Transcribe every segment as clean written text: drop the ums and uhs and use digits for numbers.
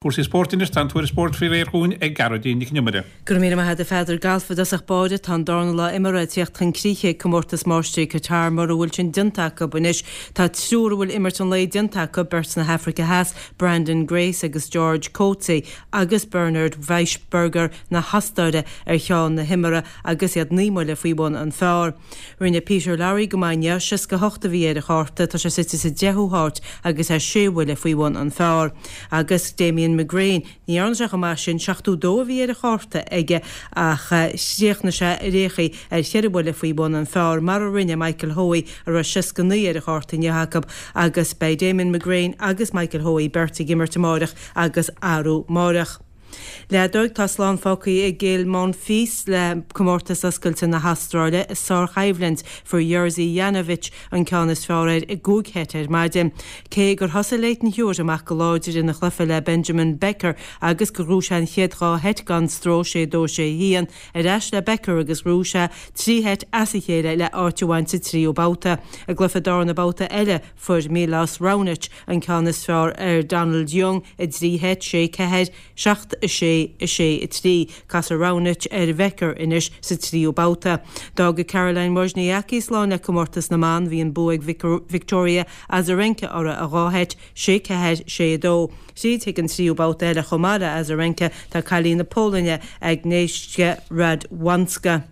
Cúrsaí spóirt anois, tá an tuairisc spóirt faoi réir chugainn ag Gearóidín Nic an Iomaire. Go raibh míle maith agat a Pheadair. Galf i dtosach báire, tá an darna lá imeartha ag tíocht chun críche ag Comórtas Máistrí Qatar mura bhfuil sin déanta acu anois. Tá triúr a bhfuil imirt an lae déanta acu, beirt na hAfraice Theas, Brandon Grace agus George Coetzee agus Bernard Weissberger na hOstaire ar cheann na himeartha agus iad 9 mbuille faoi bhun an phar. Rinne Peter Lawrie go maith inniu, 68 a bhí ar a chárta, tá sé suite sa deichiú háit agus é sé bhuille faoi bhun an phar. Agus Damien McGrane, ní dhearna sé chomh maith sin, 72 a bhí ar a chárta aige ach chríochnaigh sé ar aon chaoi ar cheithre bhuille faoi bhun an phar, mar a rinne Michael Hoey a raibh 69 ar a chárta inniu acu agus beidh Damien McGrane agus Michael Hoey beirt ag imirt amáireach agus arú máireach. Leadóig, Tá slán fágtha i gCill Monfils le Comórtas Oscailte na hAstráile i sárchoimhlint. Fuair Jerzy Janowicz an ceann is fearr air i gcúig sheit ar maidin. Cé gur thosaigh Lleyton Hewitt amach go láidir ina chluiche le Benjamin Becker agus gur ghnóthaigh sé an chéad dhá sheit gan stró, 6 2 6 1, ar ais le Becker agus ghnóthaigh sé trí sheit as a chéile le áit a bhaint sa tríú babhta. I gcluiche darna babhta eile, fuair Milos Raonic an ceann is fearr ar Donald Young i dtrí sheit, 6 4, 7 6, 6 3. Casfaidh Raonic ar Bhecker anois sa tríú babhta. D'fhág Caroline Wozniacki slán le comórtas na mban. Bhí an bua ag Victoria Azarenka uirthi i dhá sheit, 6 4, 6 2. Tríd chuig an tríú babhta eile chomh maith le Azarenka tá cailín na Polainne Agnieszka Radwanska.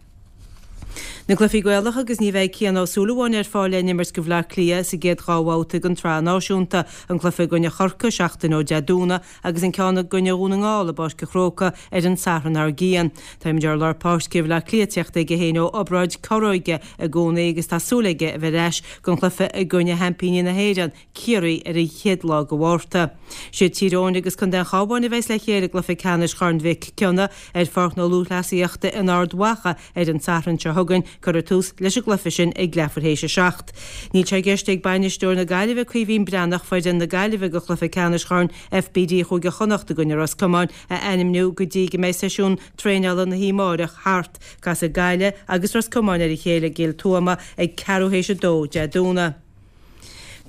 Na gcluichí Gaelacha agus ní bheidh Cian Ó Súilleabháin ar fáil le n-imirt do Bhleá Cliath sa gcéad dhá bhabhta den tSraith Náisiúnta, an cluiche i gcoinne Chorcaí seachtain ó Dé Domhnaigh agus an ceann i gcoinne Dhún na nGall i bPáirc an Chrócaigh ar an Satharn dár gcionn. Tá imreoir lár páirce Bhleá Cliath ag teacht chuige féin ó obráid corróige i gcónaí agus tá súil aige a bheith ar ais don chluiche i gcoinne sheaimpíní na hÉireann, Ciarraí ar an chéad lá de Mhárta. Siad Tír Eoghain agus Contae an Chabháin a bheas le chéile i gcluiche ceannais Chorn Mhic Cionnaith ar Pháirc na Lúthchleasaíochta in Ard Mhacha ar an Satharn seo chugainn. Cuirfear tús leis an gcluiche sin ag leathuair théis a 7. Níl sé i gceist ag bainisteoir na Gaillimhe Caoimhín Breathnach foireann na Gaillimhe do chluiche ceannais Chorn FBD Chúige Chonnacht i gcoinne Ros Comáin a ainmniú go dtí go mbeidh seisiún traenála na hoíche amárach thart. Casfaidh Gaillimh agus Ros Comáin ar a chéile i gCill Tuama ag ceathrú théis a dó Dé Domhnaigh.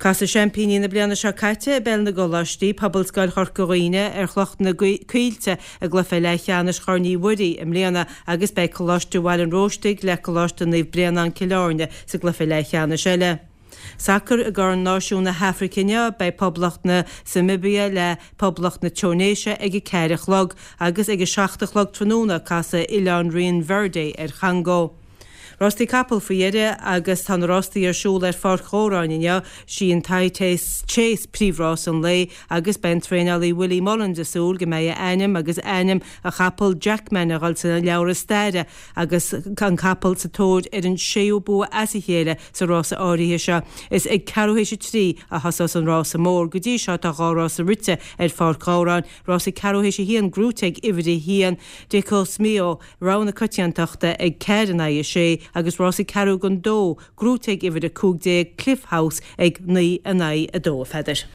Casfaidh seaimpíní na bliana seo caite i bPeil na gColáistí, Pobalscoil Chorca Dhuibhne, ar Chloich na Coillte i gcluiche leathcheannais Chorn Uí Mhuirí i mbliana agus beidh Coláiste Bhaile an Róistigh le Coláiste Naomh Bréanán, Cill Airne sa gcluiche leathcheannais eile. Sacar i gCorn Náisiún na hAfraice inniu, beidh Poblacht na Namibia le Poblacht na Túinéise ag a 4 a chlog agus ag a 7 a chlog tráthnóna casfaidh Oileán Ríon Verde ar Chongó. Rástaí capall faoi dheireadh agus tá na rástaí ar siúl ar Pháirc Dhomhráin inniu. Sí an Tithe Chase príomhrás an lae agus beidh an traenálaí Willie Mullins ag súil go mbeidh a ainm agus ainm a chapaill Jackman ag dul sna leabhra staire agus an capall sa tóir ar an séú bua as a chéile sa rása áirithe seo. Is ag ceathrú théis a trí a thosós an rása mór. Go dtí seo tá dhá rása rite ar Pháirc Dhomhráin, rása ceathrú théis a haon gnóite ag uimhir a haon, Dicos Mio, Rogha na coitiantachta ag 4 in aghaidh 6 agus rása ceathrú don dó gnóite ag uimhir 15 Cliff House ag 9 in aghaidh 2 a Pheadair.